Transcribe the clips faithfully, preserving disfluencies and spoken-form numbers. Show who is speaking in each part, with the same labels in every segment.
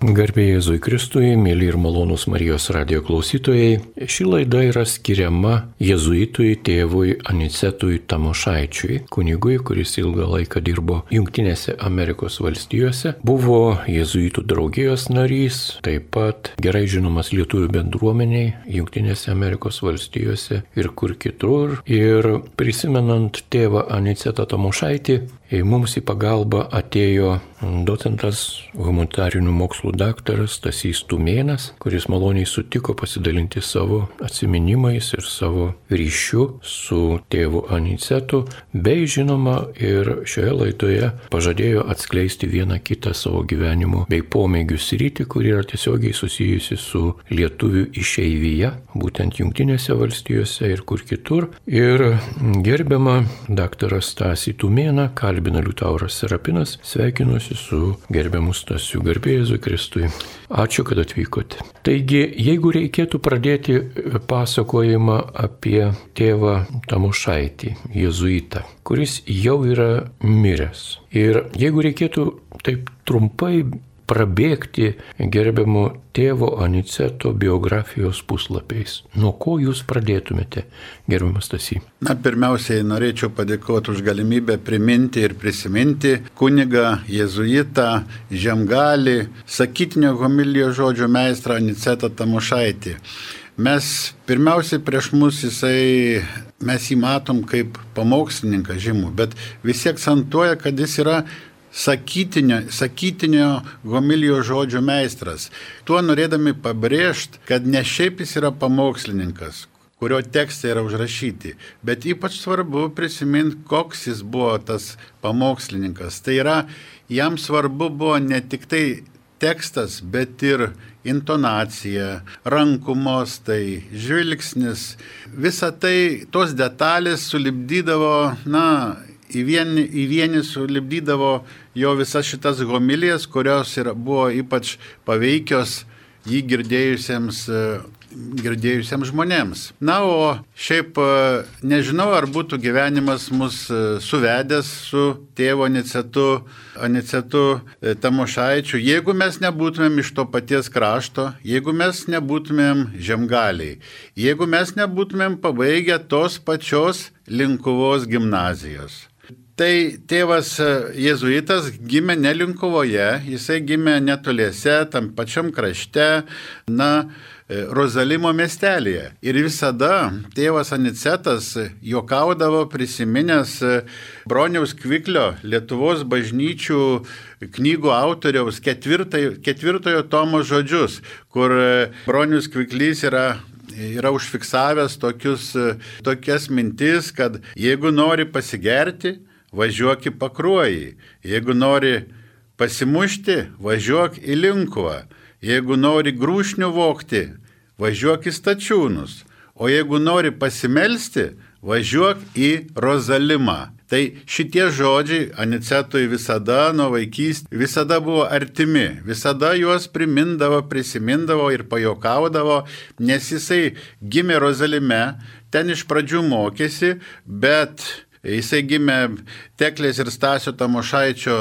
Speaker 1: Garbė Jėzui Kristui, mėly ir malonūs Marijos radijo klausytojai, ši laida yra skiriama jėzuitui tėvui Anicetui Tamošaičiui, kunigui, kuris ilgą laiką dirbo Jungtinėse Amerikos valstijose, buvo jėzuitų draugijos narys, taip pat gerai žinomas lietuvių bendruomeniai Jungtinėse Amerikos valstijose ir kur kitur. Ir prisimenant tėvą Anicetą Tamošaitį, mums į pagalbą atėjo docentas, humanitarinių mokslų daktaras Stasys Tumėnas, kuris maloniai sutiko pasidalinti savo atsiminimais ir savo ryšiu su tėvu Anicetu, bei žinoma ir šioje laidoje pažadėjo atskleisti vieną kitą savo gyvenimo bei pomėgių sritį, kuri yra tiesiogiai susijusi su lietuvių išeivija, būtent Jungtinėse valstijose ir kur kitur. Ir gerbiamą daktarą Stasį Tumėną kalbina Liutauras Serapinas, sveikinuosi su gerbiamu Stasiu. Garbė Jėzui Kristui. Ačiū, kad atvykote. Taigi, jeigu reikėtų pradėti pasakojimą apie tėvą Tamošaitį, jėzuitą, kuris jau yra miręs. Ir jeigu reikėtų taip trumpai prabėgti gerbiamo tėvo Aniceto biografijos puslapiais. Nuo ko jūs pradėtumėte, gerbiamas Stasy?
Speaker 2: Na, pirmiausiai norėčiau padėkoti už galimybę priminti ir prisiminti kunigą, jėzuitą, žemgalį, sakytinio homilijos žodžio meistrą Anicetą Tamošaitį. Mes pirmiausiai prieš mus jisai, mes jį matom kaip pamokslininką žymų, bet visi akcentuoja, kad jis yra Sakytinio, sakytinio homilijos žodžio meistras. Tuo norėdami pabrėžti, kad ne šiaip jis yra pamokslininkas, kurio tekstai yra užrašyti, bet ypač svarbu prisiminti, koks jis buvo tas pamokslininkas. Tai yra, jam svarbu buvo ne tik tai tekstas, bet ir intonacija, rankų mostai, žvilgsnis. Visa tai, tos detalės sulipdydavo, na, į vienį, į vienį sulipdydavo jo visas šitas homilijas, kurios yra, buvo ypač paveikios jį girdėjusiems, girdėjusiems žmonėms. Na, o šiaip nežinau, ar būtų gyvenimas mus suvedęs su tėvo Anicetu, Anicetu Tamošaičiu, jeigu mes nebūtumėm iš to paties krašto, jeigu mes nebūtumėm žemgaliai, jeigu mes nebūtumėm pabaigę tos pačios Linkuvos gimnazijos. Tai tėvas jėzuitas gimė ne Linkuvoje, jisai gimė netoliese, tam pačiam krašte, na, Rozalimo miestelėje. Ir visada tėvas Anicetas juokaudavo prisiminęs Broniaus Kviklio, Lietuvos bažnyčių knygų autoriaus ketvirtojo, ketvirtojo tomo žodžius, kur Bronius Kviklys yra yra užfiksavęs tokius, tokias mintis, kad jeigu nori pasigerti, važiuok į Pakruojį, jeigu nori pasimušti, važiuok į Linkuvą, jeigu nori grūšnių vogti, važiuok į Stačiūnus, o jeigu nori pasimelsti, važiuok į Rozalimą. Tai šitie žodžiai Anicetui visada nuo vaikystės visada buvo artimi, visada juos primindavo, prisimindavo ir pajuokaudavo, nes jisai gimė Rozalime, ten iš pradžių mokėsi, bet jisai gimė Teklės ir Stasio Tamošaičio,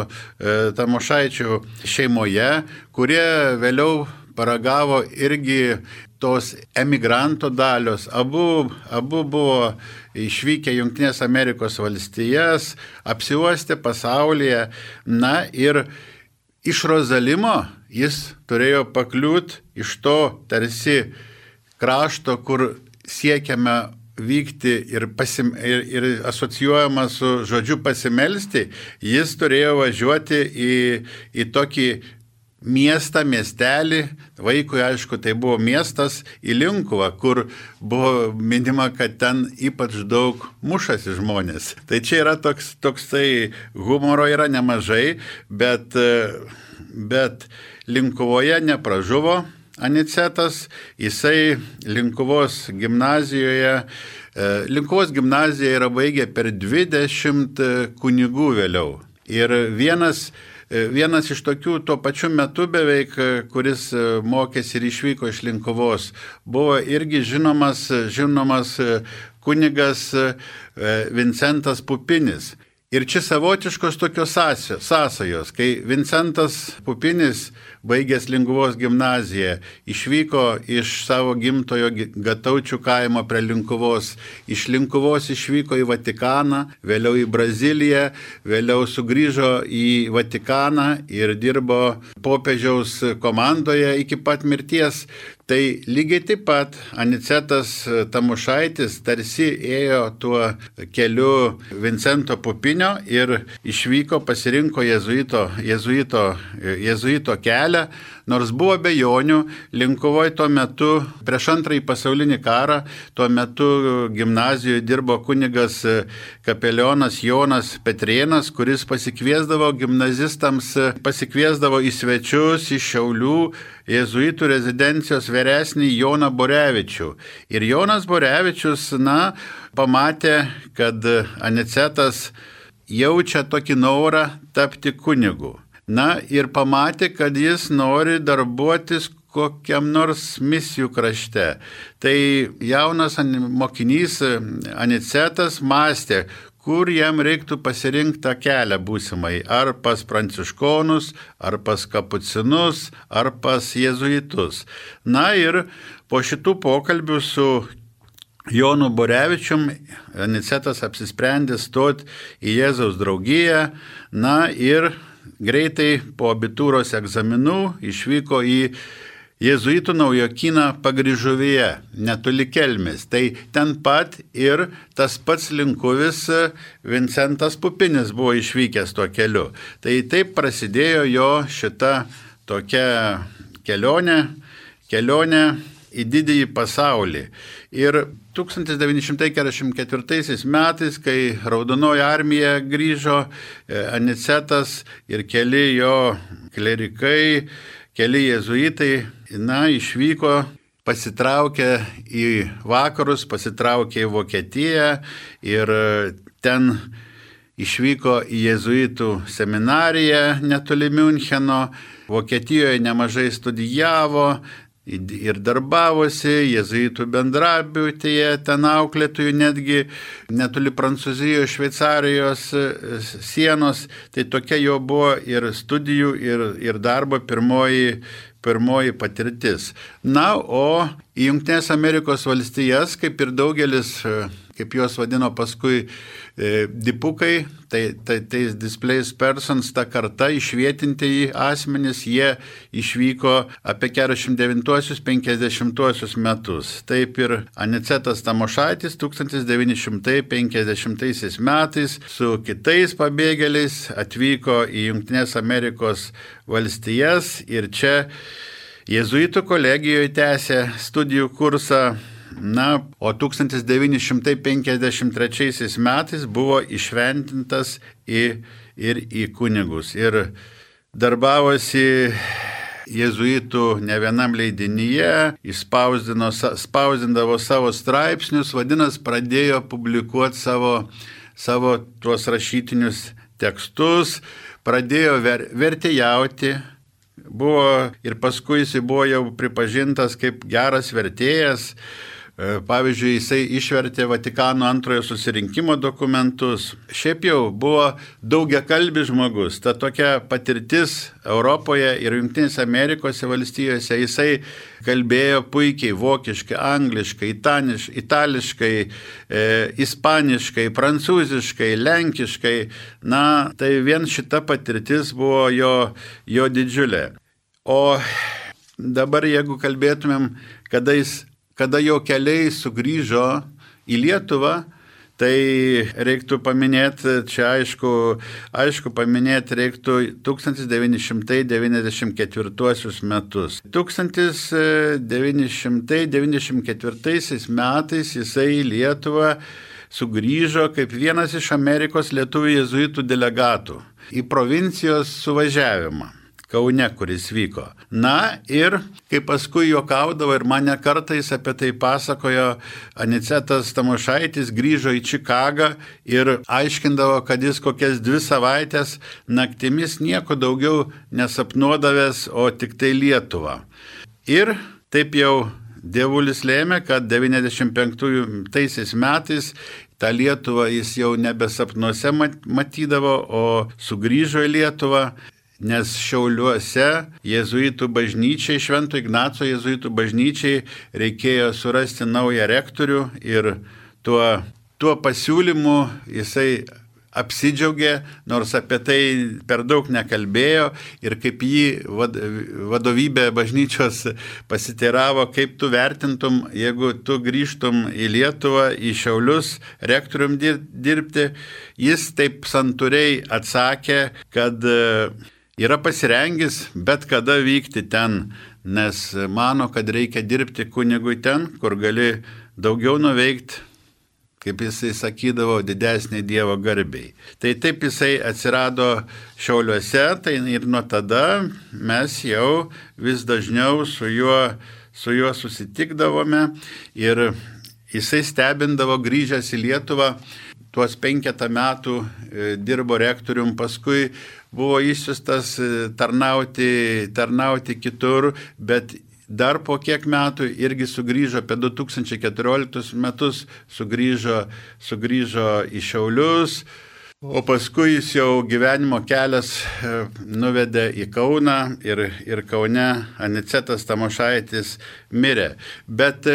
Speaker 2: Tamošaičio šeimoje, kurie vėliau paragavo irgi tos emigranto dalios. Abu, abu buvo išvykę Jungtinės Amerikos valstijas, apsiuostė pasaulyje. Na ir iš Rozalimo jis turėjo pakliūti iš to tarsi krašto, kur siekiame vykti ir, pasim, ir, ir asocijuojama su žodžiu pasimelsti, jis turėjo važiuoti į, į tokį miestą, miestelį, vaikui aišku tai buvo miestas, į Linkuvą, kur buvo minima, kad ten ypač daug mušasi žmonės. Tai čia yra toks, toksai humoro yra nemažai, bet, bet Linkuvoje nepražuvo Anicetas, jisai Linkuvos gimnazijoje, Linkuvos gimnaziją yra baigę per dvidešimt kunigų vėliau. Ir vienas Vienas iš tokių tuo pačiu metu beveik, kuris mokėsi ir išvyko iš Linkuvos, buvo irgi žinomas, žinomas kunigas Vincentas Pupinis. Ir čia savotiškos tokios sąsajos, kai Vincentas Pupinis baigęs Linkuvos gimnaziją, išvyko iš savo gimtojo Gataučių kaimo prie Linkuvos, iš Linkuvos išvyko į Vatikaną, vėliau į Braziliją, vėliau sugrįžo į Vatikaną ir dirbo popiežiaus komandoje iki pat mirties. Tai lygiai taip pat Anicetas Tamošaitis tarsi ėjo tuo keliu Vincento Pupinio ir išvyko, pasirinko jezuito, jezuito, jezuito kelią, nors buvo abejonių. Linkuvoje tuo metu, prieš antrąjį pasaulinį karą, tuo metu gimnazijoje dirbo kunigas kapelionas Jonas Petrėnas, kuris pasikviesdavo gimnazistams, pasikviesdavo į svečius iš Šiaulių jezuitų rezidencijos vyresnį Joną Borevičių. Ir Jonas Borevičius, na, pamatė, kad Anicetas jaučia tokį norą tapti kunigu. Na, ir pamatė, kad jis nori darbuotis kokiam nors misijų krašte. Tai jaunas mokinys Anicetas mąstė, kur jam reiktų pasirinkti tą kelią būsimai, ar pas pranciškonus, ar pas kapucinus, ar pas jezuitus. Na ir po šitų pokalbių su Jonu Borevičium Anicetas apsisprendė stoti į Jėzaus draugiją, na ir greitai po abitūros egzaminų išvyko į Jėzuitų naujokyną Pagryžuvyje, netoli Kelmės. Tai ten pat ir tas pats linkuvis Vincentas Pupinis buvo išvykęs tuo keliu. Tai taip prasidėjo jo šita tokia kelionė, kelionė į didįjį pasaulį. Ir tūkstantis devyni šimtai keturiasdešimt ketvirtaisiais metais, kai Raudonoji armija grįžo, Anicetas ir keli jo klerikai, keli jezuitai, na, išvyko, pasitraukė į vakarus, pasitraukė į Vokietiją ir ten išvyko į jezuitų seminariją netoli Miuncheno, Vokietijoje nemažai studijavo ir darbavosi, jezuitų bendrabutėje, ten auklėtojų netgi netoli Prancūzijos, Šveicarijos sienos. Tai tokia jo buvo ir studijų, ir, ir darbo pirmoji, pirmoji patirtis. Na, o į Jungtinės Amerikos valstijas, kaip ir daugelis, kaip juos vadino paskui e, dipukai, tai, tai, tai displaced persons, ta karta išvietintieji asmenys, jie išvyko apie keturiasdešimt devintuosius penkiasdešimtuosius metus. Taip ir Anicetas Tamošaitis tūkstantis devyni šimtai penkiasdešimtaisiais metais su kitais pabėgėliais atvyko į Jungtinės Amerikos valstijas ir čia jezuitų kolegijoje tęsė studijų kursą. Na, o tūkstantis devyni šimtai penkiasdešimt trečiaisiais metais buvo išventintas į, ir į kunigus. Ir darbavosi jezuitų ne vienam leidinyje, spausdindavo savo straipsnius, vadinasi, pradėjo publikuoti savo, savo tuos rašytinius tekstus, pradėjo ver, vertėjauti. Buvo ir paskui jis buvo jau pripažintas kaip geras vertėjas. Pavyzdžiui, jisai išvertė Vatikano antrojo susirinkimo dokumentus. Šiaip jau buvo daugiakalbis žmogus. Ta tokia patirtis Europoje ir Jungtinėse Amerikos valstijose. Jisai kalbėjo puikiai vokiškai, angliškai, itaniš, itališkai, e, ispaniškai, prancūziškai, lenkiškai. Na, tai vien šita patirtis buvo jo, jo didžiulė. O dabar, jeigu kalbėtumėm, kada jis kada jo keliai sugrįžo į Lietuvą, tai reiktų paminėti, čia aišku, aišku paminėti reiktų tūkstantis devyni šimtai devyniasdešimt ketvirtuosius metus. tūkstantis devyni šimtai devyniasdešimt ketvirtaisiais metais jisai į Lietuvą sugrįžo kaip vienas iš Amerikos lietuvių jezuitų delegatų į provincijos suvažiavimą Kaune, kuris vyko. Na ir, kaip paskui juokaudavo ir mane kartais apie tai pasakojo, Anicetas Tamošaitis grįžo į Čikagą ir aiškindavo, kad jis kokias dvi savaitės naktimis nieko daugiau nesapnuodavęs, o tik tai Lietuvą. Ir taip jau dievulis lėmė, kad devyniasdešimt penktaisiais metais tą Lietuvą jis jau nebesapnuose matydavo, o sugrįžo į Lietuvą. nes Šiauliuose jėzuitų bažnyčiai, Švento Ignaco jėzuitų bažnyčiai reikėjo surasti naują rektorių ir tuo, tuo pasiūlymu jisai apsidžiaugė, nors apie tai per daug nekalbėjo ir kaip jį vadovybė bažnyčios pasiteiravo, kaip tu vertintum, jeigu tu grįžtum į Lietuvą, į Šiaulius rektorium dirbti, jis taip santūriai atsakė, kad yra pasirengęs bet kada vykti ten, nes mano, kad reikia dirbti kunigui ten, kur gali daugiau nuveikti, kaip jisai sakydavo, didesnė Dievo garbiai. Tai taip jisai atsirado Šiauliuose, tai ir nuo tada mes jau vis dažniau su juo, su juo susitikdavome ir jisai stebindavo grįžęs į Lietuvą, tuos penketą metų dirbo rektorium, paskui buvo išsiustas tarnauti, tarnauti kitur, bet dar po kiek metų irgi sugrįžo, apie du tūkstančiai keturioliktus metus sugrįžo, sugrįžo į Šiaulius, o paskui jis jau gyvenimo kelias nuvedė į Kauną ir, ir Kaune Anicetas Tamošaitis mirė. Bet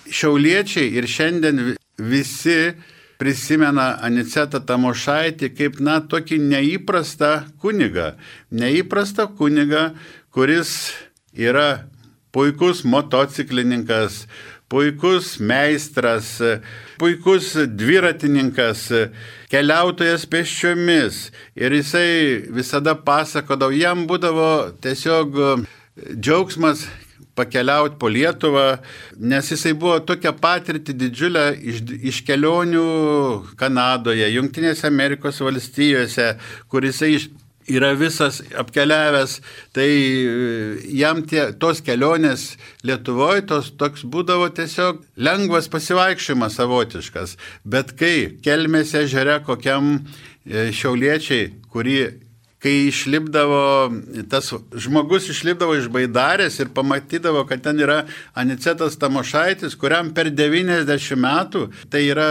Speaker 2: šiauliečiai ir šiandien visi prisimena Anicetą Tamošaitį kaip, na, tokį neįprastą kunigą. Neįprastą kunigą, kuris yra puikus motociklininkas, puikus meistras, puikus dviratininkas, keliautojas pėsčiomis. Ir jisai visada pasakodavo, jam būdavo tiesiog džiaugsmas pakeliauti po Lietuvą, nes jisai buvo tokia patirtį didžiulę iš, iš kelionių Kanadoje, Jungtinėse Amerikos valstijose, kur jisai iš yra visas apkeliavęs, tai jam tie, tos kelionės Lietuvoje tos, toks būdavo tiesiog lengvas pasivaikščiojimas savotiškas. Bet kai Kelmės ežere kokiam šiauliečiai, kurį, kai išlipdavo, tas žmogus išlipdavo iš baidarės ir pamatydavo, kad ten yra Anicetas Tamošaitis, kuriam per devyniasdešimt metų, tai yra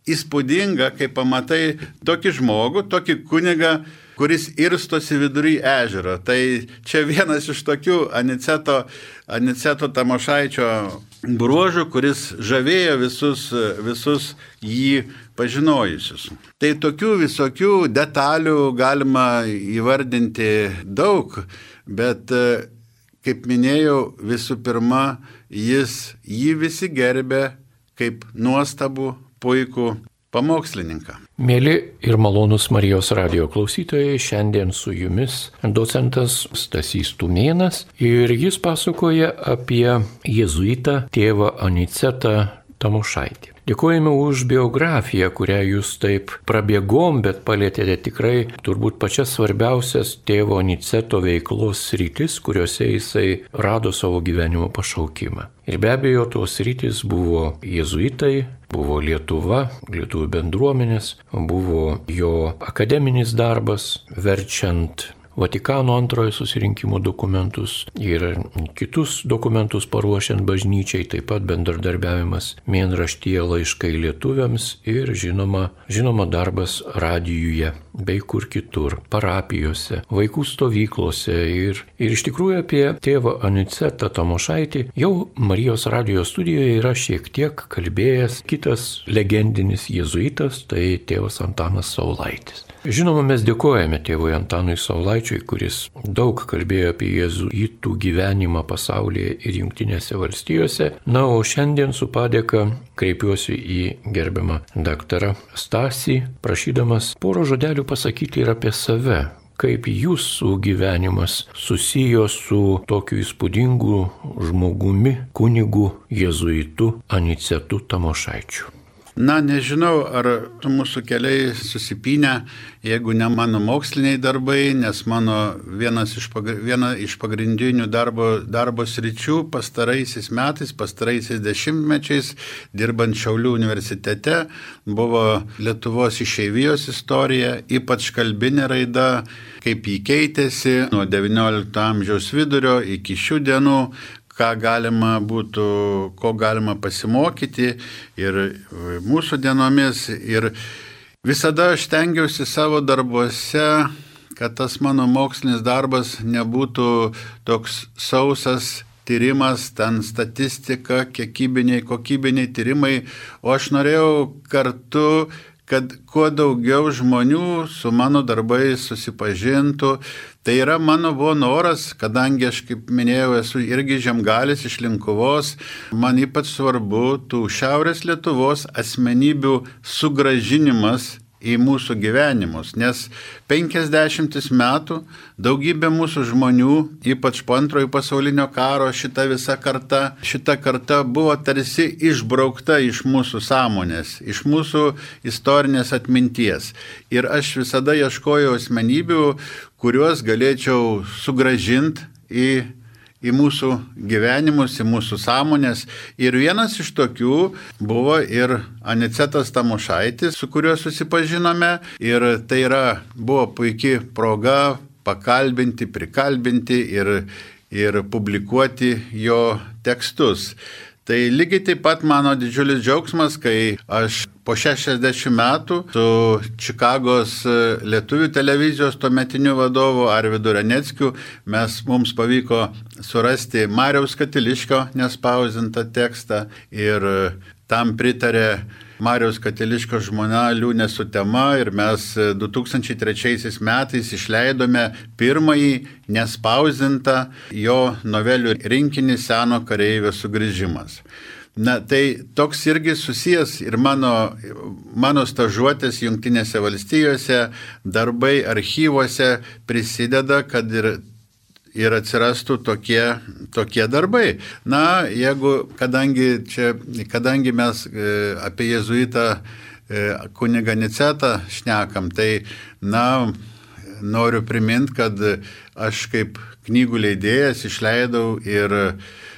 Speaker 2: įspūdinga, kai pamatai tokį žmogų, tokį kunigą, kuris irstosi vidury ežero. Tai čia vienas iš tokių Aniceto, Aniceto Tamošaičio bruožų, kuris žavėjo visus, visus jį pažinojusius. Tai tokių visokių detalių galima įvardinti daug, bet, kaip minėjau, visų pirma, jis jį visi gerbė kaip nuostabų, puikų pamokslininką.
Speaker 1: Mėly ir malonūs Marijos radijo klausytojai, šiandien su jumis docentas Stasys Tumėnas ir jis pasakoja apie jėzuitą tėvą Anicetą Tamošaitį. Dėkojame už biografiją, kurią jūs taip prabėgom, bet palėtėte tikrai turbūt pačias svarbiausias tėvo Aniceto veiklos sritis, kuriuose jisai rado savo gyvenimo pašaukimą. Ir be abejo, tos sritis buvo jėzuitai, buvo Lietuva, lietuvių bendruomenės, buvo jo akademinis darbas, verčiant Vatikano antrojo susirinkimo dokumentus ir kitus dokumentus paruošiant bažnyčiai, taip pat bendradarbiavimas mėnraštyje Laiškai lietuviams ir žinoma, žinoma darbas radijuje bei kur kitur, parapijose, vaikų stovyklose ir, ir iš tikrųjų apie tėvą Anicetą Tamošaitį jau Marijos radijo studijoje yra šiek tiek kalbėjęs kitas legendinis jėzuitas, tai tėvas Antanas Saulaitis. Žinoma, mes dėkojame tėvui Antanui Saulaičiui, kuris daug kalbėjo apie jėzuitų gyvenimą pasaulyje ir Jungtinėse valstijose. Na, o šiandien su padėka kreipiuosi į gerbiamą daktarą Stasį, prašydamas porą žodelių pasakyti ir apie save, kaip jūsų gyvenimas susijo su tokiu įspūdingu žmogumi, kunigu jėzuitu Anicetu Tamošaičiu.
Speaker 2: Na, nežinau, ar mūsų keliai susipynę, jeigu ne mano moksliniai darbai, nes mano vienas iš, pagr... viena iš pagrindinių darbo, darbo sričių pastaraisiais metais, pastaraisiais dešimtmečiais, dirbant Šiaulių universitete, buvo Lietuvos išeivijos istorija, ypač kalbinė raida, kaip jį keitėsi nuo devyniolikto amžiaus vidurio iki šių dienų, ką galima būtų, ko galima pasimokyti ir mūsų dienomis. Ir visada aš stengiausi savo darbuose, kad tas mano mokslinis darbas nebūtų toks sausas tyrimas, ten statistika, kiekybiniai, kokybiniai tyrimai, o aš norėjau kartu, kad kuo daugiau žmonių su mano darbais susipažintų. Tai yra mano buvo noras, kadangi aš, kaip minėjau, esu irgi žemgalis iš Linkuvos, man ypač svarbu tų Šiaurės Lietuvos asmenybių sugrąžinimas į mūsų gyvenimus, nes penkiasdešimtis metų daugybė mūsų žmonių, ypač po antrojo pasaulinio karo, šita visa karta, šita karta buvo tarsi išbraukta iš mūsų sąmonės, iš mūsų istorinės atminties. Ir aš visada ieškojau asmenybių, kuriuos galėčiau sugrąžinti į į mūsų gyvenimus, į mūsų sąmonės. Ir vienas iš tokių buvo ir Anicetas Tamošaitis, su kuriuo susipažinome. Ir tai yra, buvo puikia proga pakalbinti, prikalbinti ir, ir publikuoti jo tekstus. Tai lygiai taip pat mano didžiulis džiaugsmas, kai aš po šešiasdešimt metų su Čikagos lietuvių televizijos tuometiniu vadovu Arvydu Raneckiu mes mums pavyko surasti Mariaus Katiliškio nespausdintą tekstą ir tam pritarė Mariaus Katiliškio žmona Liūnė Sutema ir mes du tūkstančiai trečiaisiais metais išleidome pirmąjį nespausdintą jo novelių rinkinį Seno kareivio sugrįžimas. Na, tai toks irgi susijęs ir mano, mano stažuotės Jungtinėse valstijose, darbai archyvuose prisideda, kad ir ir atsirastų tokie, tokie darbai. Na, jeigu, kadangi, čia, kadangi mes apie jėzuitą kunigą Anicetą šnekam, tai, na, noriu priminti, kad aš kaip knygų leidėjas išleidau ir,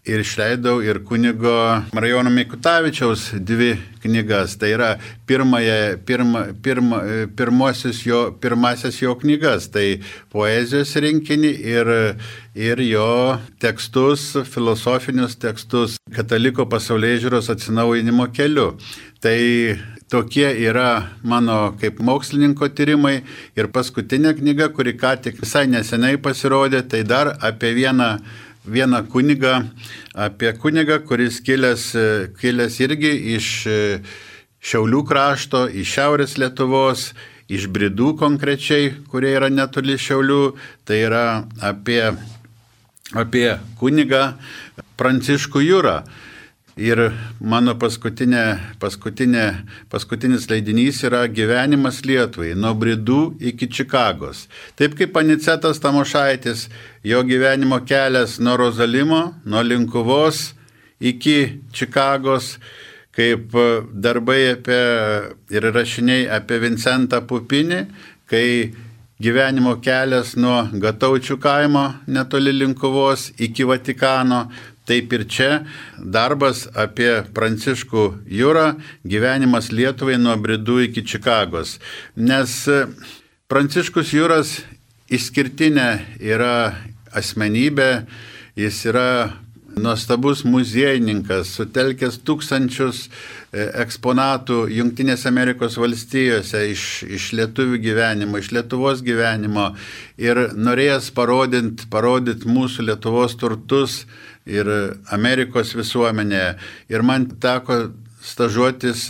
Speaker 2: ir išleidau ir kunigo Marijono Mikutavičiaus dvi knygas. Tai yra pirmąją, pirma, pirma, pirmosios jo, pirmasis jo knygas, tai poezijos rinkinį ir, ir jo tekstus, filosofinius tekstus kataliko pasaulėžiūros atsinaujinimo keliu. Tai tokie yra mano kaip mokslininko tyrimai ir paskutinė knyga, kuri ką tik visai neseniai pasirodė, tai dar apie vieną, vieną kunigą, apie kunigą, kuris kilęs, kilęs irgi iš Šiaulių krašto, iš Šiaurės Lietuvos, iš Bridų konkrečiai, kurie yra netoli Šiaulių, tai yra apie, apie kunigą Pranciškų Jurą. Ir mano paskutinė, paskutinė, paskutinis leidinys yra Gyvenimas Lietuvai, nuo Bridų iki Čikagos. Taip kaip Anicetas Tamošaitis, jo gyvenimo kelias nuo Rozalimo, nuo Linkuvos iki Čikagos, kaip darbai apie, ir rašiniai apie Vincentą Pupinį, kai gyvenimo kelias nuo Gataučių kaimo netoli Linkuvos iki Vatikano. Taip ir čia darbas apie Pranciškų Jurą, gyvenimas Lietuvai nuo Bridų iki Čikagos. Nes Pranciškus Juras išskirtinė yra asmenybė, jis yra nuostabus muziejininkas, sutelkęs tūkstančius eksponatų Jungtinėse Amerikos valstijose iš, iš lietuvių gyvenimo, iš Lietuvos gyvenimo ir norėjęs parodint, parodyt mūsų Lietuvos turtus ir Amerikos visuomenėje. Ir man teko stažuotis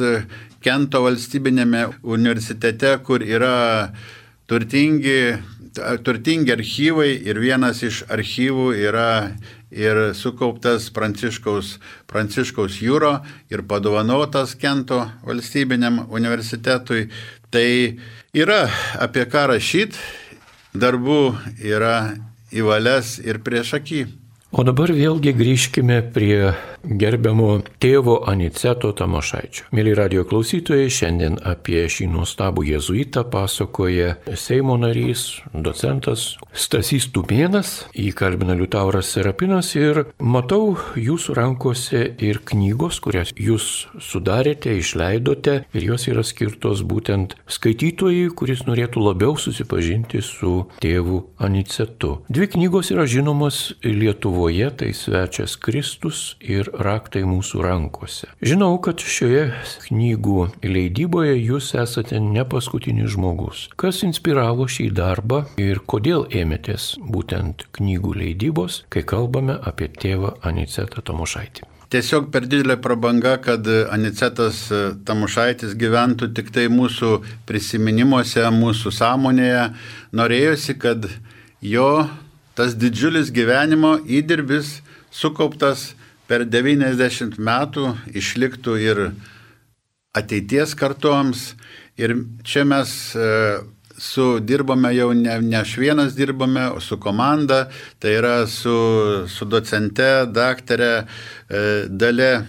Speaker 2: Kento valstybinėme universitete, kur yra turtingi, turtingi archyvai ir vienas iš archyvų yra ir sukauptas Pranciškaus, Pranciškaus Juro ir padovanotas Kento valstybiniam universitetui. Tai yra apie ką rašyti, darbų yra į valias ir prieš akį.
Speaker 1: O dabar vėlgi grįžkime prie gerbiamo tėvo Aniceto Tamošaičio. Mėly radijo klausytojai, šiandien apie šį nuostabų jėzuitą pasakoja Seimo narys, docentas Stasys Tumėnas, jį kalbina Liutauras Serapinas ir matau jūsų rankose ir knygos, kurias jūs sudarėte, išleidote ir jos yra skirtos būtent skaitytojui, kuris norėtų labiau susipažinti su tėvu Anicetu. Dvi knygos yra žinomos Lietuvoje. Lietuvoje tai svečias Kristus ir raktai mūsų rankose. Žinau, kad šioje knygų leidyboje jūs esate ne paskutinis žmogus. Kas inspiravo šį darbą ir kodėl ėmėtės būtent knygų leidybos, kai kalbame apie tėvą Anicetą Tamošaitį?
Speaker 2: Tiesiog per didelė prabanga, kad Anicetas Tamošaitis gyventų tik tai mūsų prisiminimuose, mūsų sąmonėje. Norėjosi, kad jo tas didžiulis gyvenimo įdirbis sukauptas per devyniasdešimt metų išliktų ir ateities kartoms. Ir čia mes su dirbame jau ne, ne aš vienas dirbame, o su komanda, tai yra su, su docente, daktarė e, Dalia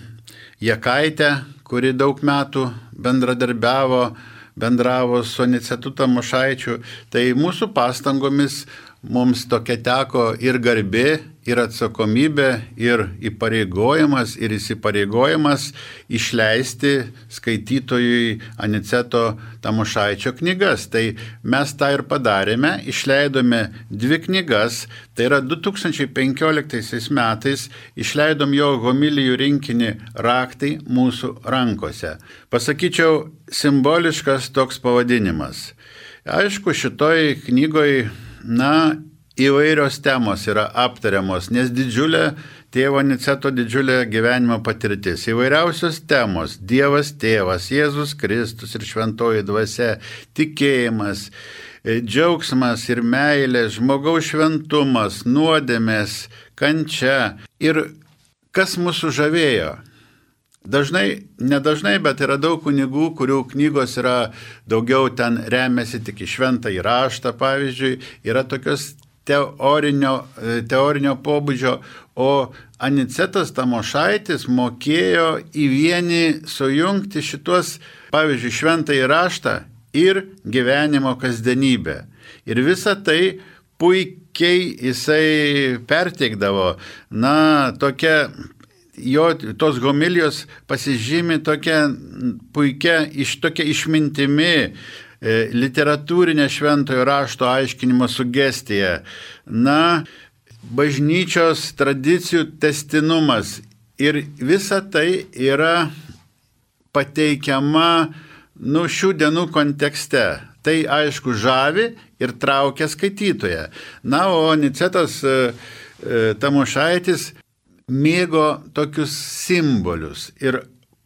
Speaker 2: Jakaitė, kuri daug metų bendradarbiavo, bendravo su Anicetu Tamošaičiu. Tai mūsų pastangomis mums tokia teko ir garbė, ir atsakomybė, ir įpareigojimas, ir įsipareigojimas išleisti skaitytojui Aniceto Tamošaičio knygas. Tai mes tą ir padarėme, išleidome dvi knygas, tai yra du tūkstančiai penkioliktaisiais metais išleidom jo homilijų rinkinį Raktai mūsų rankose. Pasakyčiau, simboliškas toks pavadinimas. Aišku, šitoj knygoj Na, įvairios temos yra aptariamos, nes didžiulė tėvo Aniceto didžiulė gyvenimo patirtis. Įvairiausios temos – Dievas tėvas, Jėzus Kristus ir šventoji dvasia, tikėjimas, džiaugsmas ir meilė, žmogaus šventumas, nuodėmės, kančia. Ir kas mūsų žavėjo? Dažnai, nedažnai, bet yra daug kunigų, kurių knygos yra daugiau ten remiasi tik į šventąjį raštą, pavyzdžiui, yra tokios teorinio, teorinio pobūdžio, o Anicetas Tamošaitis mokėjo į vienį sujungti šitos, pavyzdžiui, šventąjį raštą ir gyvenimo kasdienybę. Ir visą tai puikiai jisai perteikdavo, na, tokia jo tos homilijos pasižymi tokia puikia, iš tokia išmintimi, e, literatūrinė šventojo rašto aiškinimo sugestija, na, bažnyčios tradicijų tęstinumas. Ir visa tai yra pateikiama, nu, šių dienų kontekste. Tai aišku žavi ir traukia skaitytoją. Na, o Anicetas e, e, Tamošaitis mėgo tokius simbolius ir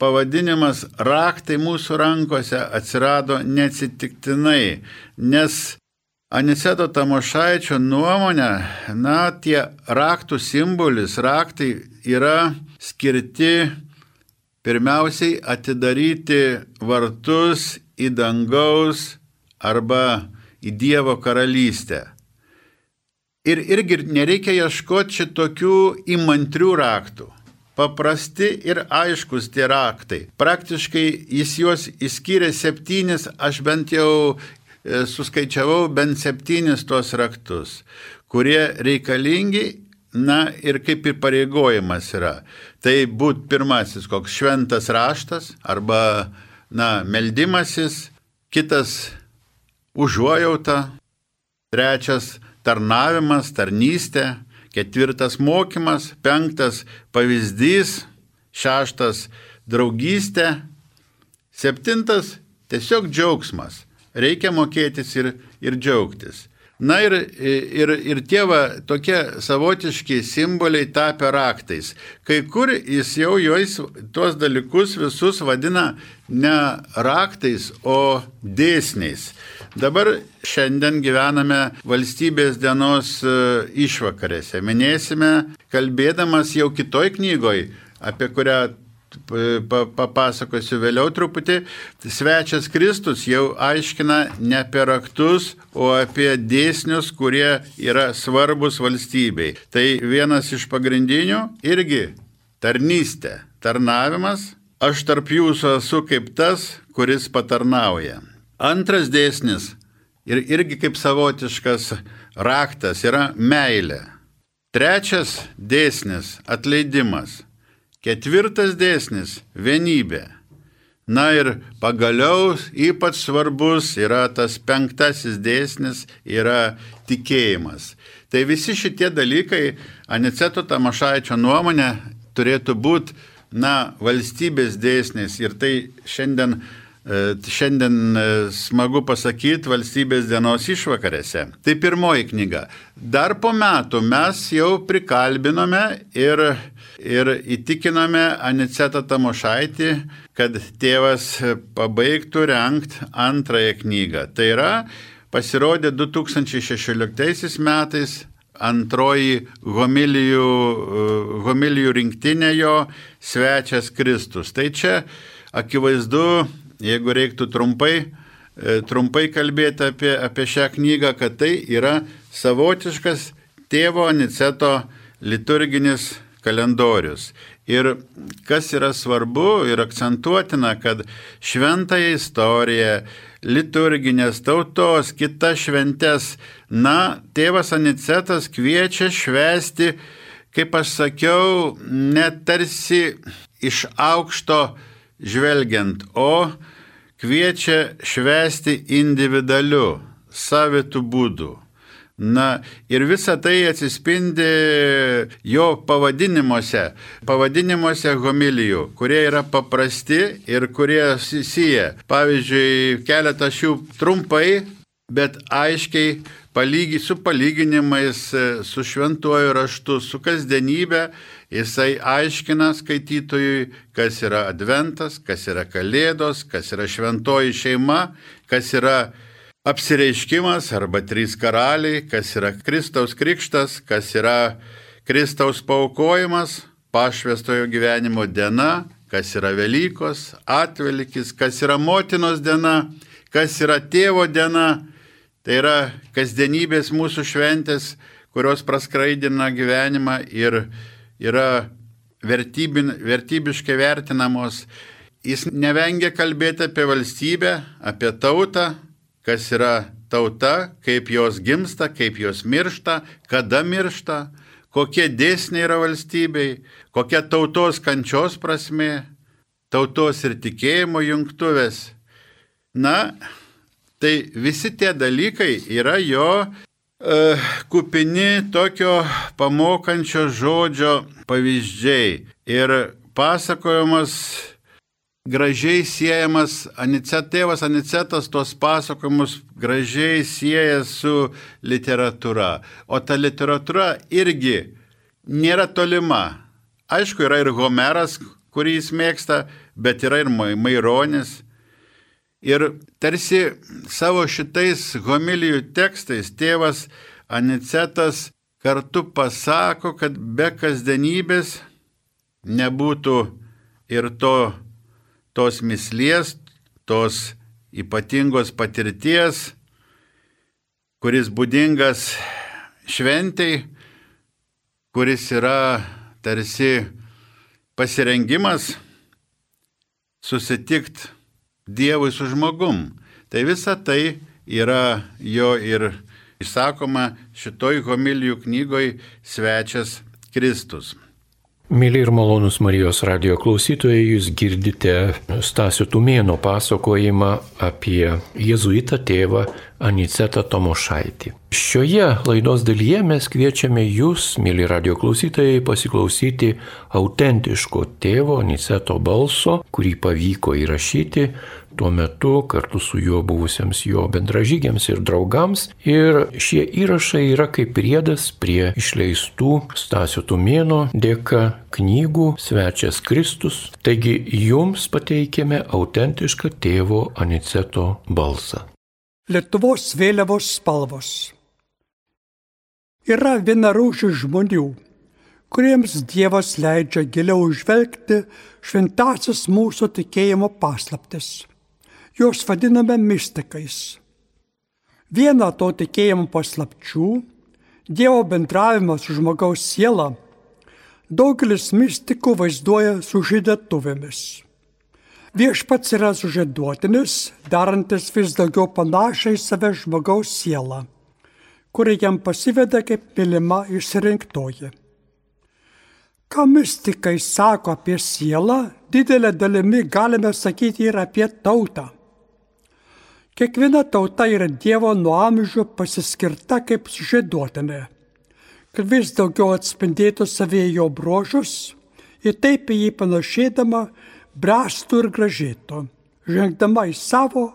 Speaker 2: pavadinimas Raktai mūsų rankose atsirado neatsitiktinai, nes Aniceto Tamošaičio nuomonė, na, tie raktų simbolis, raktai yra skirti pirmiausiai atidaryti vartus į dangaus arba į Dievo karalystę. Ir irgi nereikia ieškoti šitokių įmantrių raktų. Paprasti ir aiškus tie raktai. Praktiškai jis juos išskyrė septynis, aš bent jau e, suskaičiavau bent septynis tuos raktus, kurie reikalingi, na, ir kaip įpareigojimas yra. Tai būt pirmasis koks šventas raštas arba, na, meldimasis, kitas užuojauta, trečias tarnavimas, tarnystė, ketvirtas mokymas, penktas pavyzdys, šeštas draugystė, septintas tiesiog džiaugsmas. Reikia mokėtis ir, ir džiaugtis. Na ir, ir, ir tie va, tokie savotiški simboliai tapę raktais. Kai kur jis jau juos tuos dalykus visus vadina ne raktais, o dėsniais. Dabar šiandien gyvename valstybės dienos išvakarėse. Minėsime, kalbėdamas jau kitoj knygoj, apie kurią papasakosiu vėliau truputį, svečias Kristus jau aiškina ne apie raktus, o apie dėsnius, kurie yra svarbus valstybei. Tai vienas iš pagrindinių irgi tarnystė, tarnavimas. Aš tarp jūsų esu kaip tas, kuris patarnauja. Antras dėsnis ir irgi kaip savotiškas raktas yra meilė. Trečias dėsnis atleidimas. Ketvirtas dėsnis – vienybė. Na ir pagaliau ypač svarbus yra tas penktasis dėsnis – yra tikėjimas. Tai visi šitie dalykai, Aniceto Tamošaičio nuomonė, turėtų būti, na, valstybės dėsnis. Ir tai šiandien, šiandien smagu pasakyti valstybės dienos išvakarėse. Tai pirmoji knyga. Dar po metų mes jau prikalbinome ir, ir įtikinome Anicetą Tamošaitį, kad tėvas pabaigtų rengti antrąją knygą. Tai yra, pasirodė du tūkstančiai šešioliktaisiais metais antroji homilijų, homilijų rinktinė jo Svečias Kristus. Tai čia akivaizdu, jeigu reiktų trumpai, trumpai kalbėti apie, apie šią knygą, kad tai yra savotiškas tėvo Aniceto liturginis kalendorius. Ir kas yra svarbu ir akcentuotina, kad šventąją istoriją, liturginės, tautos, kitas šventes, na, tėvas Anicetas kviečia švęsti, kaip aš sakiau, net tarsi iš aukšto žvelgiant, o kviečia švęsti individualiu, savitų būdų. Na, ir visa tai atsispindi jo pavadinimuose, pavadinimuose homilijų, kurie yra paprasti ir kurie sieja. Pavyzdžiui, keletas šių trumpai, bet aiškiai palygi, su palyginimais, su šventuoju raštu, su kasdienybė, jisai aiškina skaitytojui, kas yra adventas, kas yra kalėdos, kas yra šventoji šeima, kas yra apsireiškimas arba trys karaliai, kas yra Kristaus krikštas, kas yra Kristaus paaukojimas, pašvęstojo gyvenimo diena, kas yra Velykos, atvelykis, kas yra motinos diena, kas yra tėvo diena. Tai yra kasdienybės mūsų šventės, kurios praskraidina gyvenimą ir yra vertybin, vertybiškai vertinamos. Jis nevengia kalbėti apie valstybę, apie tautą, kas yra tauta, kaip jos gimsta, kaip jos miršta, kada miršta, kokie dėsniai yra valstybei, kokia tautos kančios prasmė, tautos ir tikėjimo jungtuvės. Na, tai visi tie dalykai yra jo uh, kupini tokio pamokančio žodžio pavyzdžiai. Ir pasakojimas gražiai siejamas, Anicet, tėvas Anicetas tos pasakojimus gražiai sieja su literatūra. O ta literatūra irgi nėra tolima. Aišku, yra ir Homeras, kurį jis mėgsta, bet yra ir Maironis. Ir tarsi savo šitais homilijų tekstais tėvas Anicetas kartu pasako, kad be kasdienybės nebūtų ir to tos mislės, tos ypatingos patirties, kuris būdingas šventei, kuris yra tarsi pasirengimas susitikti Dievui su žmogum. Tai visa tai yra jo ir išsakoma šitoj homilijų knygoj Svečias Kristus.
Speaker 1: Mėly ir malonus Marijos radijo klausytojai, jūs girdite Stasio Tumėno pasakojimą apie jėzuitą tėvą Anicetą Tamošaitį. Šioje laidos dalyje mes kviečiame jūs, mėly radijo klausytojai, pasiklausyti autentiško tėvo Aniceto balso, kurį pavyko įrašyti tuo metu kartu su juo buvusiems jo bendražygiams ir draugams. Ir šie įrašai yra kaip priedas prie išleistų Stasio Tumėno dėka knygų Svečias Kristus. Taigi jums pateikėme autentišką tėvo Aniceto balsą.
Speaker 3: Lietuvos vėliavos spalvos. Yra vienarūšių žmonių, kuriems Dievas leidžia giliau žvelgti šventąsias mūsų tikėjimo paslaptis. Jos vadiname mistikais. Viena to tikėjimo paslapčių – Dievo bendravimas su žmogaus siela – daugelis mistikų vaizduoja sužadėtuvėmis. Viešpats yra sužadėtinis, darantis vis daugiau panašiai save žmogaus sielą, kuri jam pasiveda kaip mylima išsirinktoji. Ką mistikai sako apie sielą, didelė dalimi galime sakyti ir apie tautą. Kiekviena tauta yra Dievo nuo amžių pasiskirta kaip sužadėtinė, kad vis daugiau atspindėtų savyje jo bruožus ir taip į jį panašėdama bręstų ir gražėtų, žengdama į savo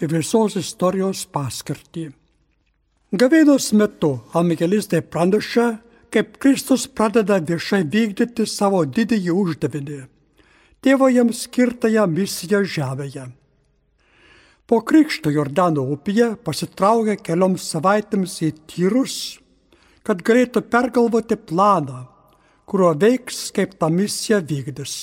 Speaker 3: ir visos istorijos paskirtį. Gavėnios metu evangelistai praneša, kaip Kristus pradeda viešai vykdyti savo didįjį uždavinį, tėvo jam skirtąją misiją žemėje. Po krikšto Jordano upėje pasitraukė kelioms savaitėms į Tyrus, kad galėtų pergalvoti planą, kuriuo veiks, kaip tą misiją vykdys.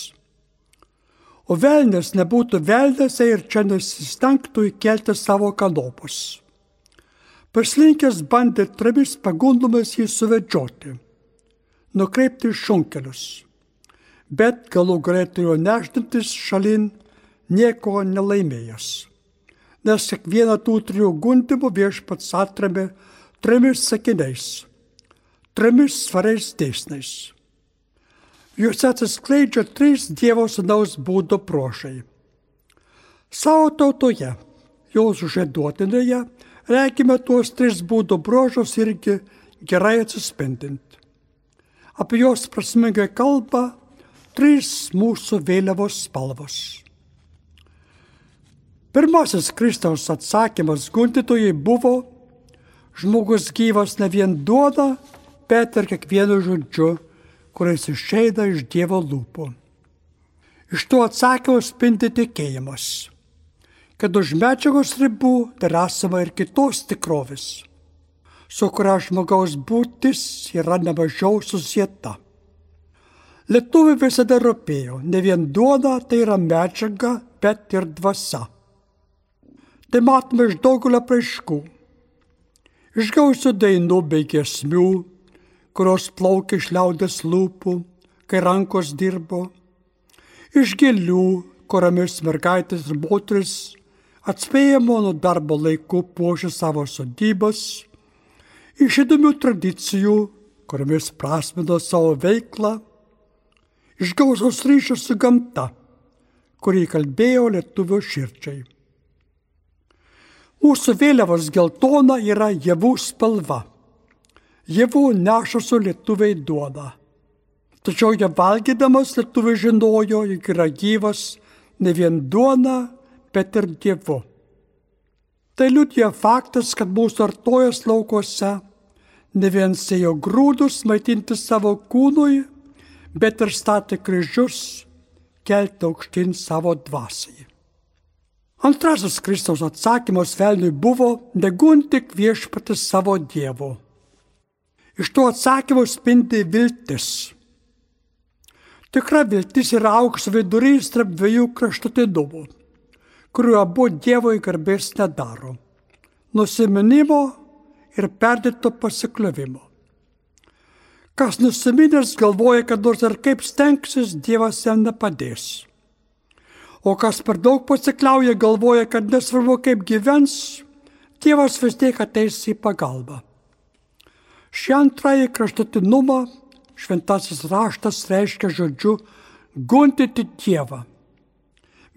Speaker 3: O velnias nebūtų velnęs ir čia nesistengtų įkelti savo kanopus. Paslinkęs bandė trimis pagundomis jį suvedžioti, nukreipti šunkelius, bet galų galėtų nešdintis šalin nieko nelaimėjęs, nes kiekvieną tų trijų gundimų viešpats atrėmė trimis sakiniais, trimis svariais dėsniais. Juose atsiskleidžia trys Dievo sūnaus būdo bruožai. Savo tautoje, jos žieduotinėje, regime tuos tris būdo bruožus irgi gerai atsispindint. Apie jos prasmingai kalba trys mūsų vėliavos spalvos. Pirmasis Kristaus atsakymas gundytojai buvo: žmogus gyvas ne vien duona, bet ir kiekvienu žodžiu, kuris išeina iš Dievo lūpų. Iš to atsakymo spindi tikėjimas, kad už medžiagos ribų dar esama ir kitos tikrovės, su kuria žmogaus būtis yra nemažiau susieta. Lietuviui visada rūpėjo ne vien duona, tai yra medžiaga, bet ir dvasia. Tai matome iš daugelio apraiškų, iš gausių dainų bei giesmių, kurios plaukia iš liaudės lūpų, kai rankos dirbo, iš gėlių, kuriomis mergaitės ir moteris atspėjamo nuo darbo laikų puošia savo sodybas, iš įdomių tradicijų, kuriomis prasmino savo veiklą, iš gausos ryšio su gamta, kurį kalbėjo lietuvio širdžiai. Mūsų vėliavos geltona yra javų spalva. Javų nešusių lietuviai duoną. Tačiau ją valgydamas lietuviai žinojo, jog yra gyvas ne vien duona, bet ir Dievu. Tai liudija faktas, kad mūsų artojos laukuose ne vien sėjo grūdus maitinti savo kūnui, bet ir statė kryžius kelti aukštyn savo dvasiai. Antrasis Kristaus atsakymas velniui buvo: negundyk viešpaties savo Dievo. Iš to atsakymo spindi viltis. Tikra viltis yra aukso vidurys tarp dviejų kraštutinumų, kuriuo abu Dievui garbės nedaro – nusiminimo ir perdėto pasikliovimo. Kas nusiminęs galvoja, kad nors ir kaip stengsis, Dievas jam nepadės. O kas per daug pasikliauja, galvoja, kad nesvarbu kaip gyvens, Dievas vis tiek ateis į pagalbą. Šį antrąjį kraštutinumą šventasis raštas reiškia žodžiu gundyti Dievą,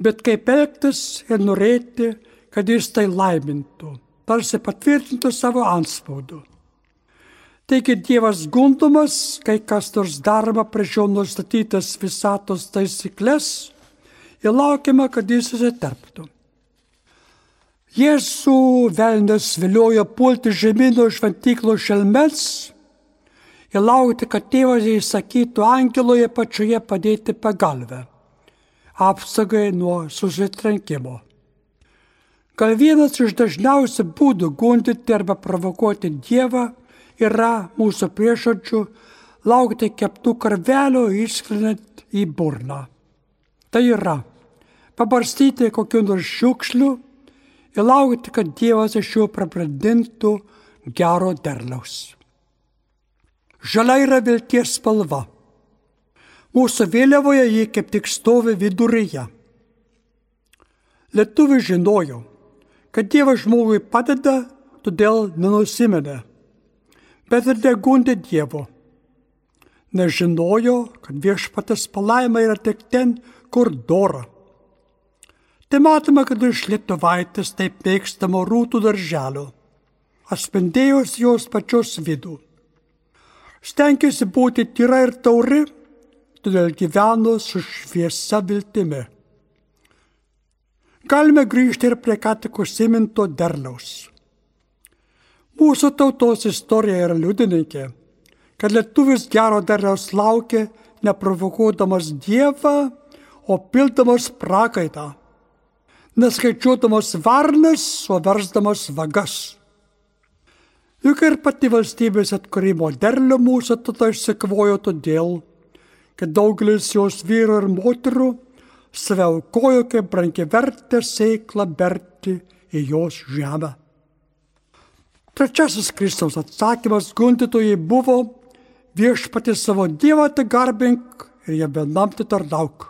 Speaker 3: bet kaip elgtis ir norėti, kad jis tai laimintų, tarsi patvirtintų savo antspaudu. Taigi Dievas gundomas, kai kas nors daroma prieš jo nustatytas visatos taisyklės, ir laukiama, kad jis įsiterptų. Jėzų velnias viliojo pulti žemyno šventyklo šelmens ir laukti, kad tėvas įsakytų angeloje pačioje padėti pagalvę, apsaugai nuo susitrenkimo. Gal vienas iš dažniausių būdų gundyti arba provokuoti Dievą yra mūsų priešodžių laukti keptų karvelio išskrinant į burną. Tai yra pabarstyti kokių nors šiukšlių ir laukti, kad Dievas iš jų prabrandintų gero derliaus. Žalia yra vilties spalva. Mūsų vėliavoje ji kaip tik stovi viduryje. Lietuviai žinojo, kad Dievas žmogui padeda, todėl nenusiminė, bet ir negundė Dievo. Nežinojo, kad viešpaties palaima yra tik ten, kur dora. Tai matome, kad iš lietuvaitės taip mėgstamo rūtų darželio atspindėjus jos pačios vidų. Stengėsi būti tyra ir tauri, todėl gyveno su šviesa viltimi. Galime grįžti ir prie ką tik užsiminto derliaus. Mūsų tautos istorija yra liudininkė, kad lietuvis gero derliaus laukia neprovokuodamas Dievą, o pildamas prakaitą, neskaičiuodamas varnas, o versdamas vagas. Juk ir pati valstybės atkūrimo derlių mūsų tauta išsikvojo todėl, kad daugelis jos vyrų ir moterų save aukojo kaip brangiavertę sėklą berti į jos žemę. Trečiasis Kristaus atsakymas gundytojai buvo: viešpatį savo Dievą te garbink ir jam vienam te tarnauk.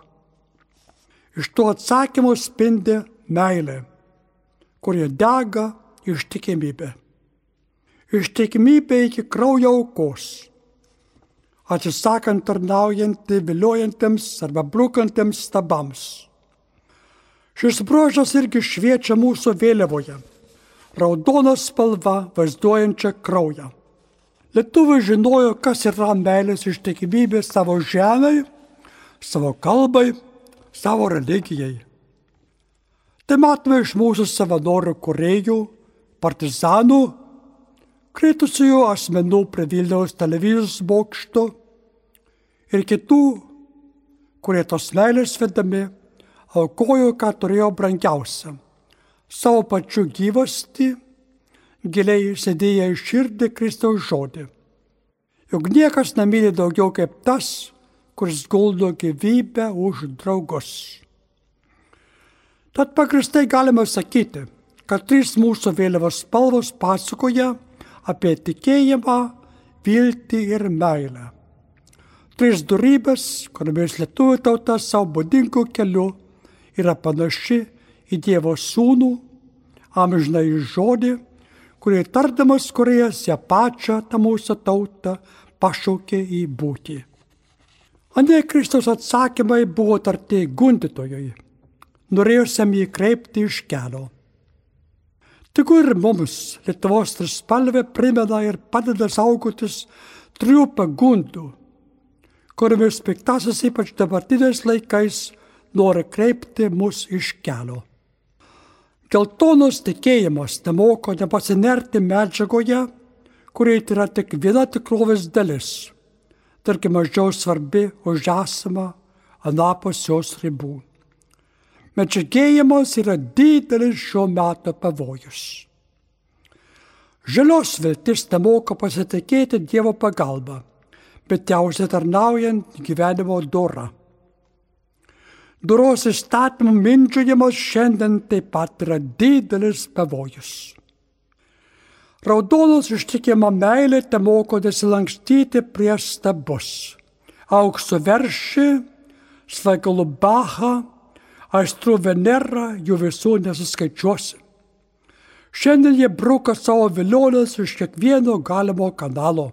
Speaker 3: Iš to atsakymo spindi meilė, kurie dega ištikimybė. Ištikimybė iki kraujo aukos, atsisakant tarnaujantį viliojantiems arba brukantiems stabams. Šis bruožas irgi šviečia mūsų vėliavoje, raudona spalva vaizduojančia kraują. Lietuviai žinojo, kas yra meilės ištikimybė savo žemei, savo kalbai, savo religijai. Tai matome iš mūsų savanorių kūrėjų, partizanų, kritusiųjų asmenų prie Vilniaus televizijos bokšto ir kitų, kurie tos meilės vedami aukojo, ką turėjo brangiausia - savo pačių gyvastį, giliai įsidėję į širdį Kristaus žodį. Juk niekas nemyli daugiau kaip tas, kuris guldo gyvybę už draugus. Tad pagrįstai galime sakyti, kad trys mūsų vėliavos spalvos pasakoja apie tikėjimą, viltį ir meilę. Trys dorybės, kuriomis lietuvių tauta savo būdingu keliu yra panaši į Dievo sūnų, amžinąjį žodį, kurį tardamas kūrėjas ją pačią tą mūsų tautą pašaukė į būtį. Anie Kristaus atsakymai buvo tarti gundytojui, norėjusiam jį kreipti iš kelio. Tik ir mums Lietuvos trispalvė primena ir padeda saugotis trijų pagundų, kuriomis piktasis ypač dabartiniais laikais nori kreipti mus iš kelio. Geltonos tikėjimas nemoko nepasinerti medžiagoje, kuriai yra tik viena tikrovės dalis, tarkim mažiau svarbi už esamą anapus jos ribų. Medžiagėjimas yra didelis šio meto pavojus. Žalios viltis nemoka pasitikėti Dievo pagalba, bet ją užsitarnaujant gyvenimo dorą. Doros įstatymų mindžiojimas šiandien taip pat yra didelis pavojus. Raudonos ištikima meilė temoko nesilankstyti prieš stabus. Aukso veršį, svaigalų bachą, aistrų Venerą, jų visų nesuskaičiuosi. Šiandien jie bruka savo vilionės iš kiekvieno galimo kanalo.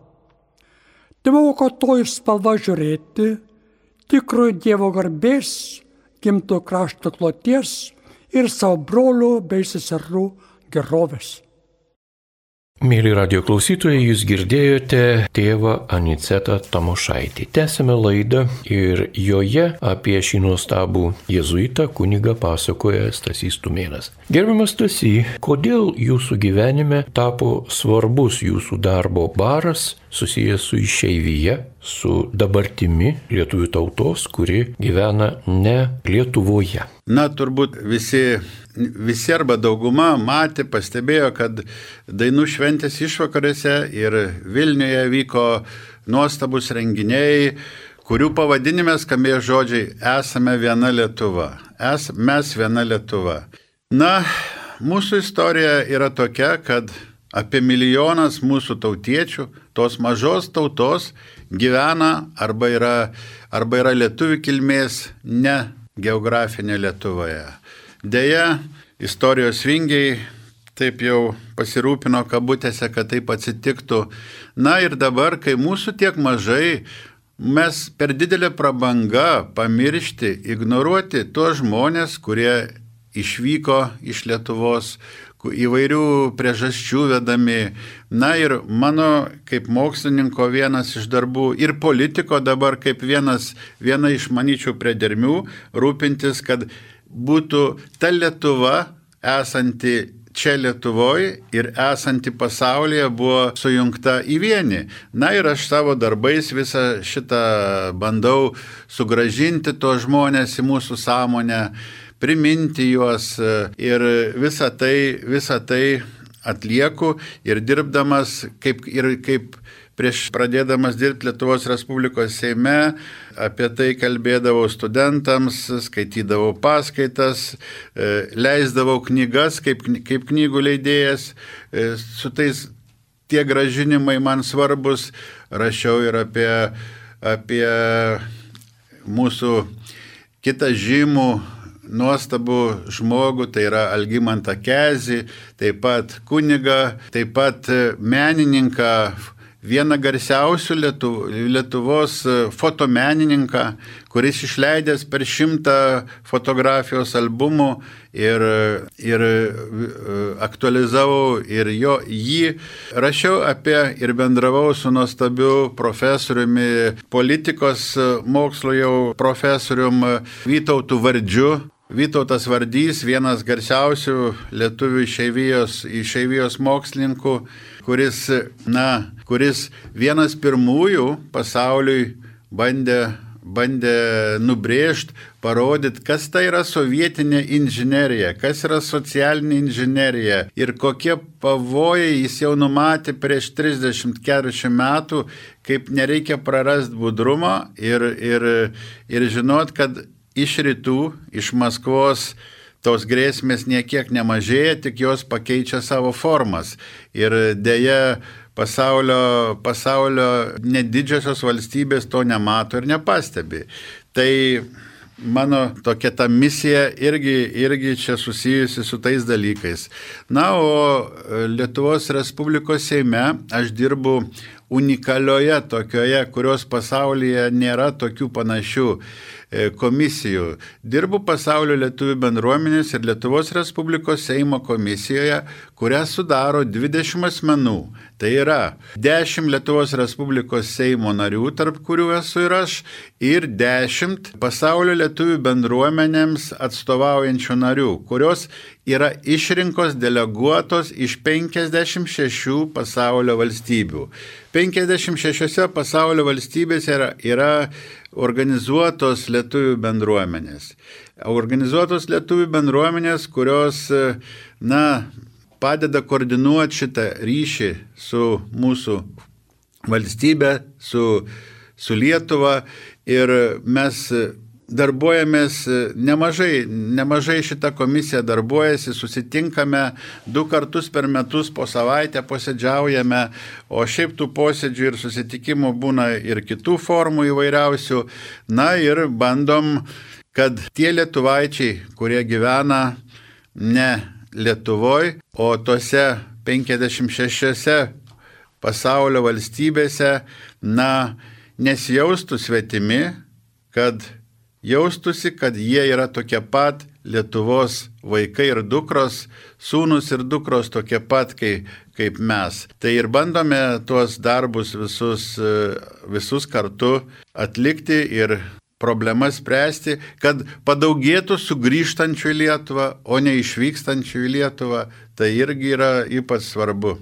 Speaker 3: Temoko to spalva žiūrėti, tikrojo Dievo garbės, gimto krašto kloties ir savo brolių bei seserų gerovės.
Speaker 1: Mėly radio klausytojai, jūs girdėjote tėvą Anicetą Tamošaitį. Tęsime laidą ir joje apie šį nuostabų jėzuitą kunigą pasakoja Stasys Tumėnas. Gerbiamas Stasy, kodėl jūsų gyvenime tapo svarbus jūsų darbo baras susijęs su išeivija, su dabartimi lietuvių tautos, kuri gyvena ne Lietuvoje?
Speaker 2: Na, turbūt visi, visi arba dauguma matė, pastebėjo, kad dainų šventės išvakarėse ir Vilniuje vyko nuostabus renginiai, kurių pavadinime skambėjo žodžiai "Esame viena Lietuva". Es, mes viena Lietuva. Na, mūsų istorija yra tokia, kad apie milijonas mūsų tautiečių, tos mažos tautos, gyvena arba yra, arba yra lietuvių kilmės ne geografinė Lietuvoje. Deja, istorijos vingiai taip jau pasirūpino kabutėse, kad taip atsitiktų. Na ir dabar, kai mūsų tiek mažai, mes per didelę prabangą pamiršti, ignoruoti tuos žmonės, kurie išvyko iš Lietuvos, įvairių priežasčių vedami. Na ir mano kaip mokslininko vienas iš darbų ir politiko dabar kaip vienas, viena iš manyčių priedermių rūpintis, kad būtų ta Lietuva esanti čia Lietuvoje ir esanti pasaulyje buvo sujungta į vienį. Na ir aš savo darbais visą šitą bandau sugražinti tos žmonės į mūsų sąmonę, priminti juos ir visą tai, visą tai atlieku ir dirbdamas kaip, ir kaip prieš pradėdamas dirbti Lietuvos Respublikos Seime, apie tai kalbėdavau studentams, skaitydavau paskaitas, leisdavau knygas kaip, kaip knygų leidėjas, su tais tie grąžinimai man svarbus, rašiau ir apie, apie mūsų kitą žymų nuostabų žmogų, tai yra Algimantą Kezį, taip pat kunigą, taip pat menininką, vieną garsiausių Lietu, Lietuvos fotomenininką, kuris išleidęs per šimtą fotografijos albumų ir, ir aktualizavau ir jo, jį. Rašiau apie ir bendravau su nuostabiu profesoriumi, politikos mokslo jau profesorium Vytautu Vardžiu. Vytautas Vardys, vienas garsiausių lietuvių išeivijos, išeivijos mokslininkų, kuris, na, kuris vienas pirmųjų pasauliui bandė, bandė nubrėžti, parodyti, kas tai yra sovietinė inžinerija, kas yra socialinė inžinerija ir kokie pavojai jis jau numatė prieš trisdešimt keturiasdešimt metų, kaip nereikia prarasti budrumo ir, ir, ir žinot, kad iš rytų, iš Maskvos tos grėsmės niekiek nemažėja, tik jos pakeičia savo formas. Ir dėja pasaulio, pasaulio nedidžiosios valstybės to nemato ir nepastebi. Tai mano tokia ta misija irgi, irgi čia susijusi su tais dalykais. Na, o Lietuvos Respublikos Seime aš dirbu unikalioje tokioje, kurios pasaulyje nėra tokių panašių komisijų. Dirbu Pasaulio lietuvių bendruomenės ir Lietuvos Respublikos Seimo komisijoje, kurią sudaro dvidešimt asmenų. Tai yra dešimt Lietuvos Respublikos Seimo narių, tarp kurių esu ir aš, ir dešimt Pasaulio lietuvių bendruomenėms atstovaujančių narių, kurios yra išrinkos deleguotos iš penkiasdešimt šešių pasaulio valstybių. penkiasdešimt šešiose pasaulio valstybėse yra, yra organizuotos lietuvių bendruomenės. Organizuotos lietuvių bendruomenės, kurios, na, padeda koordinuoti šitą ryšį su mūsų valstybė, su, su Lietuva ir mes darbuojamės nemažai, nemažai šitą komisiją darbuojasi, susitinkame du kartus per metus po savaitę posėdžiaujame, o šiaip tų posėdžių ir susitikimų būna ir kitų formų įvairiausių. Na ir bandom, kad tie lietuvaičiai, kurie gyvena ne Lietuvoje, o tose penkiasdešimt šešiose pasaulio valstybėse, na, nesijaustų svetimi, kad jaustusi, kad jie yra tokie pat Lietuvos vaikai ir dukros, sūnus ir dukros tokie pat kaip, kaip mes. Tai ir bandome tuos darbus visus, visus kartu atlikti ir problemas spręsti, kad padaugėtų sugrįžtančių į Lietuvą, o ne išvykstančių į Lietuvą. Tai irgi yra ypač svarbu.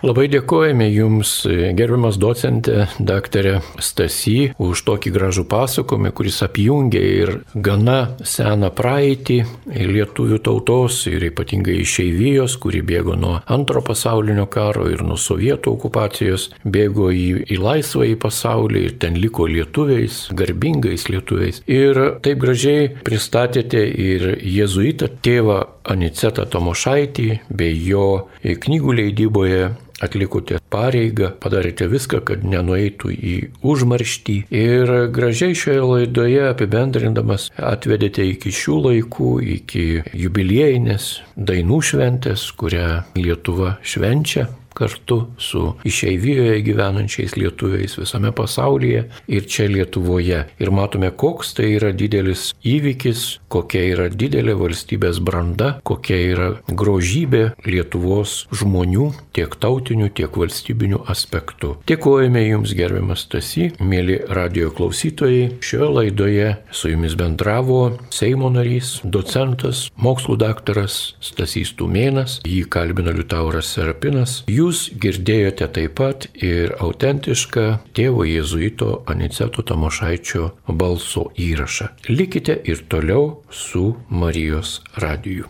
Speaker 1: Labai dėkojame Jums, gerbiamas docente, daktarė Stasy, už tokį gražų pasakojimą, kuris apjungia ir gana seną praeitį lietuvių tautos ir ypatingai išeivijos, kuri bėgo nuo antro pasaulinio karo ir nuo sovietų okupacijos, bėgo į, į laisvąjį pasaulį ir ten liko lietuviais, garbingais lietuviais. Ir taip gražiai pristatėte ir jėzuitą tėvą Anicetą Tamošaitį bei jo knygų leidyboje atlikote pareigą, padarėte viską, kad nenueitų į užmarštį ir gražiai šioje laidoje apibendrindamas atvedėte iki šių laikų, iki jubiliejinės dainų šventės, kurią Lietuva švenčia. kartu su išeivijoje gyvenančiais lietuviais visame pasaulyje ir čia Lietuvoje. Ir matome, koks tai yra didelis įvykis, kokia yra didelė valstybės branda, kokia yra grožybė Lietuvos žmonių, tiek tautinių, tiek valstybinių aspektų. Dėkojame Jums, gerbiamas Stasy, mėly radijo klausytojai. Šioje laidoje su Jumis bendravo Seimo narys, docentas, mokslų daktaras Stasys Tumėnas, jį kalbino Liutauras Serapinas. Jūs girdėjote taip pat ir autentišką tėvo jėzuito Aniceto Tamošaičio balso įrašą. Likite ir toliau su Marijos radiju.